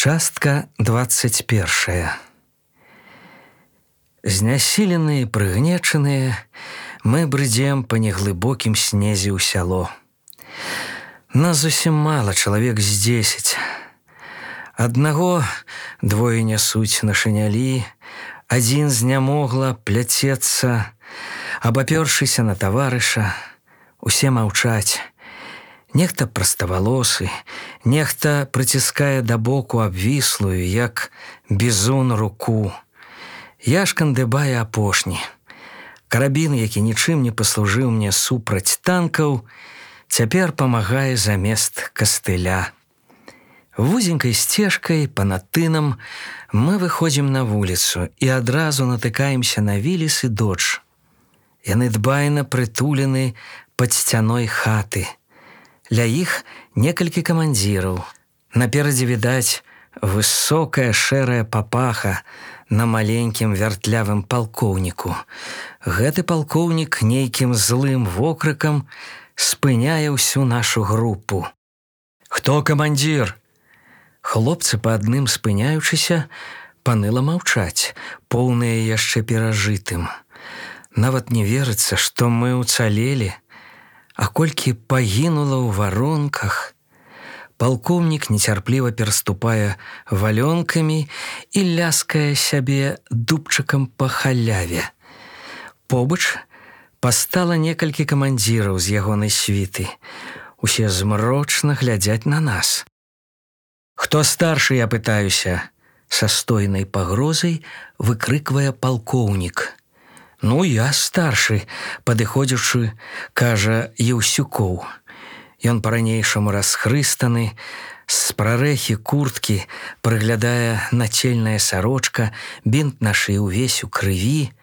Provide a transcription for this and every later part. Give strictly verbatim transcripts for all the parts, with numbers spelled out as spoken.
Частка двадцать першая. Знясіленыя і прыгнечаныя, мы брыдзем па неглыбокім снезе ў сяло. Нас зусім мала, чалавек з дзесяць. Аднаго двое нясуць на шынялі, адзін знямогла пляцецца, абапёршыся на таварыша. Усе маўчаць. Нехта праставалосы, нехта прыціскае да боку абвіслую, як бізун, руку. Я шкандыбаю апошні. Карабін, які нічым не паслужыў мне супраць танкаў, цяпер памагае замест кастыля. Вузенькай сцежкай па-над тынам мы выходзім на вуліцу і адразу натыкаемся на Віліс і Додж. Яны дбайна прытулены пад сцяной хаты. Ля іх некалькі камандзіраў. Наперадзе відаць высокая шэрая папаха на маленькім вяртлявым палкоўніку. Гэты палкоўнік нейкім злым вокрыкам спыняе ўсю нашу групу. «Хто камандзір?» Хлопцы па адным спыняючыся паныла маўчаць, поўныя яшчэ перажытым. Нават не верыцца, што мы ўцалелі, а колькі пагінула ў варонках. Палкоўнік нецярпліва пераступае валёнкамі і ляскае сябе дубчыкам па халяве. Побач пастала некалькі камандзіраў з ягонай світы. Усе змрочна глядзяць на нас. «Хто старшы, я пытаюся?» Са стойнай пагрозай выкрыквае палкоўнік. «Ну, я старшы», падыходзячы, кажа Еўсюкоў. Ён па-ранейшаму расхрыстаны, з прарэхі курткі прыглядае нацельная сарочка, бінт на шыі ўвесь у крыві.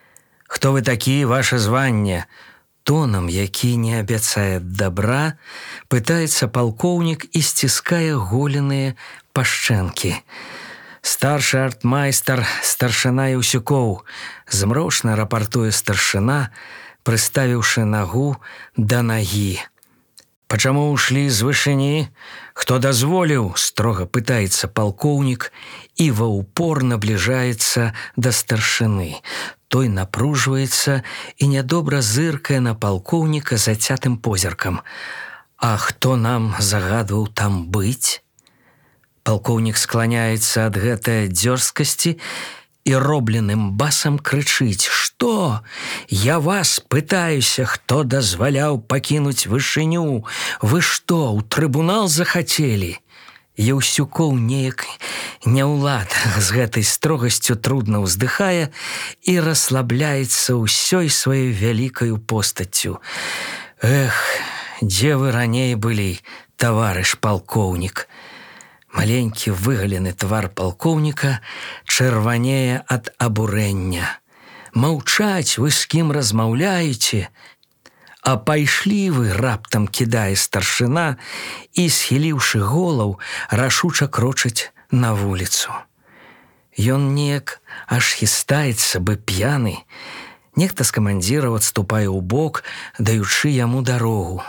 «Хто вы такі, ваше званне?» Тонам, які не абяцае дабра, пытаецца палкоўнік і сціскае голеныя пашчэнкі. «Старшы артмайстар, старшына Еўсюкоў», змрочна рапартуе старшына, прыставіўшы нагу да нагі. «Пачаму ўшлі з вышыні? Хто дазволіў?» строга пытаецца палкоўнік і ва ўпор набліжаецца да старшыны. Той напружваецца і нядобра зыркае на палкоўніка зацятым позіркам. «А хто нам загадваў там быць?» Палкоўнік скланяецца ад гэтай дзёрзкасці і робленым басам крычыць: «Што? Я вас пытаюся, хто дазваляў пакінуць вышыню? Вы што, у трыбунал захацелі?» Еўсюкоў неяк няўлад з гэтай строгасцю трудна ўздыхае і расслабляецца ўсёй сваёй вялікаю постаццю. «Эх, дзе вы раней былі, таварыш палкоўнік?» Маленькі выгалены твар палкоўніка чырванее ад абурэння. «Маўчаць, вы з кім размаўляеце?» «А пайшлі вы!» раптам кідае старшына і, схіліўшы голаў, рашуча крочыць на вуліцу. Ён неяк аж хістаецца, бы п'яны. Нехта з камандзіраў адступае ў бок, даючы яму дарогу.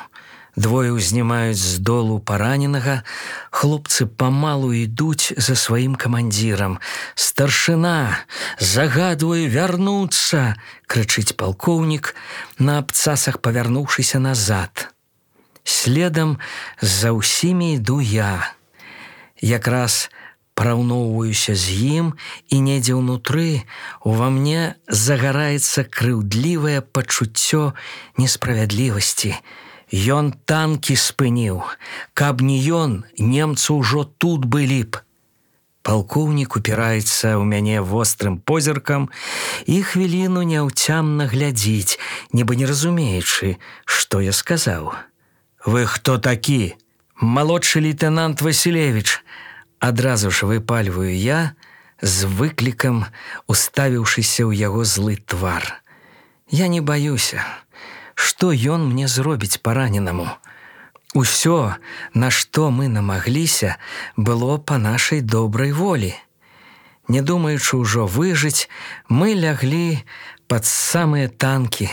Двое ўзнімаюць з долу параненага, хлопцы памалу ідуць за сваім камандзірам. «Старшына, загадваю вярнуцца!» крычыць палкоўнік, на абцасах павярнуўшыся назад. Следам за ўсімі іду я. Якраз параўноўваюся з ім, і недзе ўнутры ува мне загараецца крыўдлівае пачуццё несправядлівасці. Ён танкі спыніў. Каб не ён, немцы ўжо тут былі б. Палкоўнік упіраецца ў мяне вострым позіркам і хвіліну няўцямна глядзіць, нібы не разумеючы, што я сказаў. «Вы хто такі?» «Малодшы лейтэнант Васілевіч», адразу ж выпальваю я, з выклікам уставіўшыся ў яго злы твар. Я не баюся. Што ён мне зробіць параненаму? Усё, на што мы намагліся, было па нашай добрай волі. Не думаючы ўжо выжыць, мы ляглі пад самыя танкі.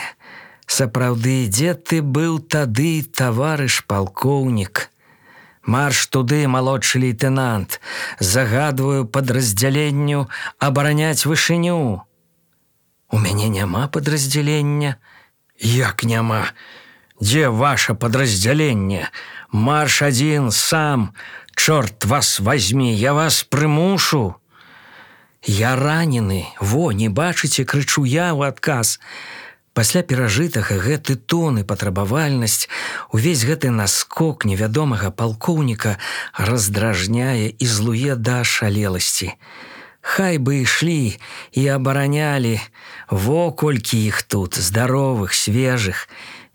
Сапраўды, дзе ты быў тады, таварыш палкоўнік? Марш туды, малодшы лейтенант. Загадваю падраздзяленню абараняць вышыню. У мяне няма падраздзялення. Як няма? Дзе ваша падраздзяленне? Марш адзін сам. Чорт вас возьми, я вас прымушу. Я ранены, во, не бачыце, крычу я ў адказ. Пасля перажытага гэты тон і патрабавальнасць, увесь гэты наскок невядомага палкоўніка раздражняе і злуе да ашалеласці. Хай бы ішлі і абаранялі, во колькі іх тут, здаровых, свежых,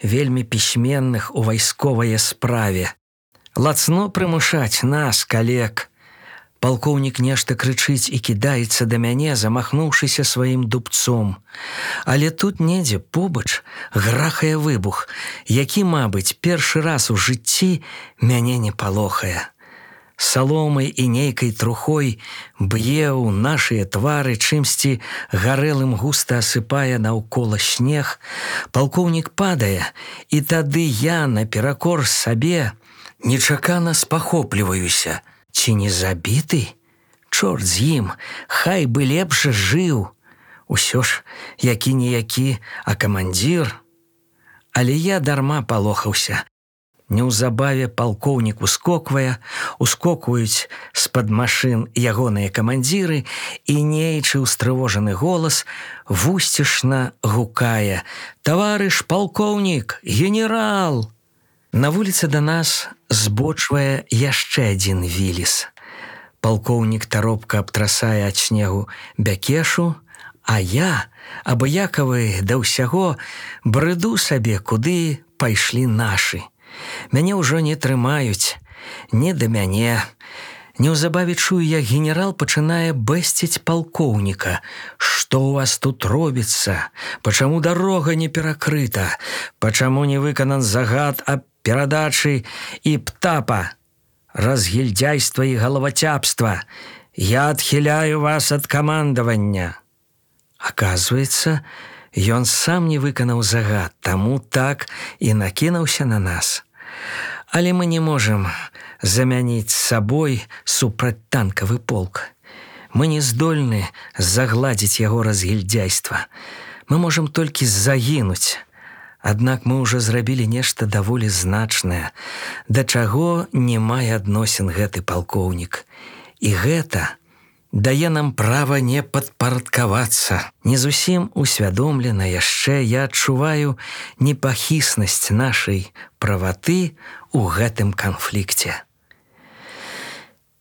вельмі пісьменных у вайсковае справе. Лацно прымушаць нас, калек. Палкоўнік нешта крычыць і кідаецца да мяне, замахнуўшыся сваім дубцом. Але тут недзе побач грахае выбух, які, мабыць, першы раз у жыцці мяне не палохае. Саломай і нейкай трухой б'е ў нашыя твары, чымсьці гарэлым густа асыпае наўкола снег. Палкоўнік падае, і тады я, наперакор сабе, нечакана спахопліваюся. Ці не забіты? Чорт з ім, хай бы лепш жыў. Усё ж які-ніякі, а камандзір. Але я дарма палохаўся. Неўзабаве палкоўнік ускоквае, ускокваюць з-пад машын ягоныя камандзіры, і нейчы устрывожаны голас вусцішна гукае: «Таварыш палкоўнік, генерал!» На вуліцы да нас збочвае яшчэ адзін віліс. Палкоўнік таропка абтрасае ад снегу бякешу, а я, абыякавы да ўсяго, брыду сабе, куды пайшлі нашы. Мяне ўжо не трымаюць, не да мяне. Неўзабаве чую, як генерал пачынае бэсціць палкоўніка. «Што ў вас тут робіцца? Пачаму дарога не перакрыта? Пачаму не выканан загад аб перадачы і птапа? Разгільдзяйства і галавацяпства. Я адхіляю вас ад камандавання». Аказваецца, ён сам не выканаў загад, таму так і накінуўся на нас. Але мы не можам замяніць сабой супрацьтанкавы полк. Мы не здольны загладзіць яго разгільдзяйства. Мы можам толькі загінуць. Аднак мы ўжо зрабілі нешта даволі значнае, да чаго не мае адносін гэты палкоўнік. І гэта дае нам права не падпарадкавацца. Не зусім усвядомлена яшчэ я адчуваю непахіснасць нашай праваты ў гэтым канфлікце.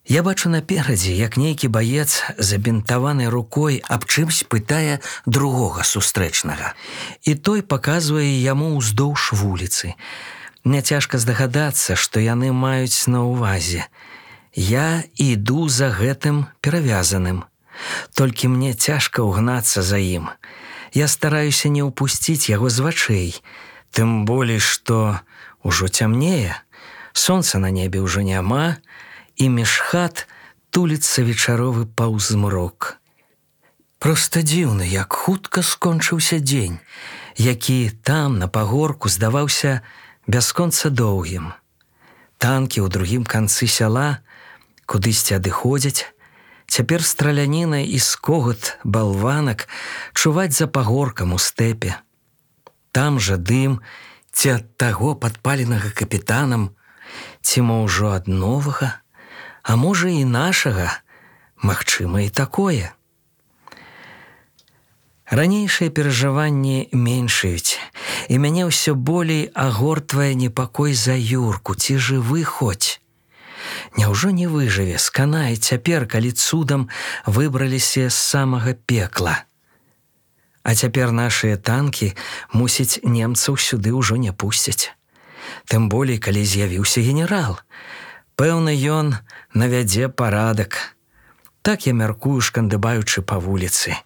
Я бачу наперадзе, як нейкі баец, забінтаваны рукой, аб чымсь пытае другога сустрэчнага. І той паказвае яму ўздоўж вуліцы. Няцяжка здагадацца, што яны маюць на ўвазе. Я іду за гэтым перавязаным. Толькі мне цяжка ўгнацца за ім. Я стараюся не ўпусціць яго з вачэй. Тым болей, што ўжо цямнее, сонца на небе ўжо няма, і між хат туліцца вечаровы паўзмрок. Проста дзіўна, як хутка скончыўся дзень, які там, на пагорку, здаваўся бясконца доўгім. Танкі ў другім канцы сяла кудысьці адыходзяць. Цяпер страляніна і скогат балванак чуваць за пагоркам у стэпе. Там жа дым ці ад таго падпаленага капітанам, ці мо ўжо ад новага, а можа і нашага, магчыма і такое. Ранейшыя перажыванні меншаюць, і мяне ўсё болей агортвае непакой за Юрку, ці жывы хоць. Няўжо не выжыве, сканае цяпер, калі цудам выбраліся з самага пекла. А цяпер нашыя танкі, мусіць, немцаў сюды ўжо не пусцяць. Тым болей, калі з'явіўся генерал. Пэўна, ён навядзе парадак. Так я мяркую, шкандыбаючы па вуліцы.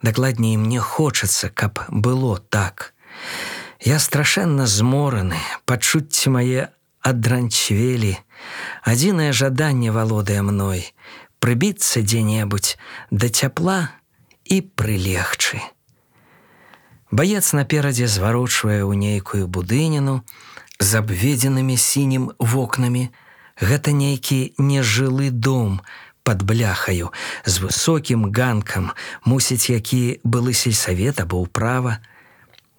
Дакладней, мне хочацца, каб было так. Я страшэнна змораны, пачуцці мае адранчвелі. Адзінае жаданне валодае мной — прыбіцца дзе-небудзь да цяпла і прылегчы. Баец наперадзе зварочвае ў нейкую будыніну з абведзенымі сінім вокнамі. Гэта нейкі нежылы дом пад бляхаю з высокім ганкам, мусіць, які былы сельсавет або ўправа.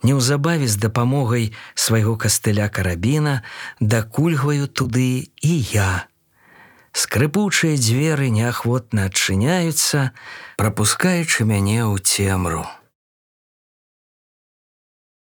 Неўзабаве з дапамогай свайго кастыля карабіна дакульгваю туды і я. Скрыпучыя дзверы неахвотна адчыняюцца, прапускаючы мяне ў цемру.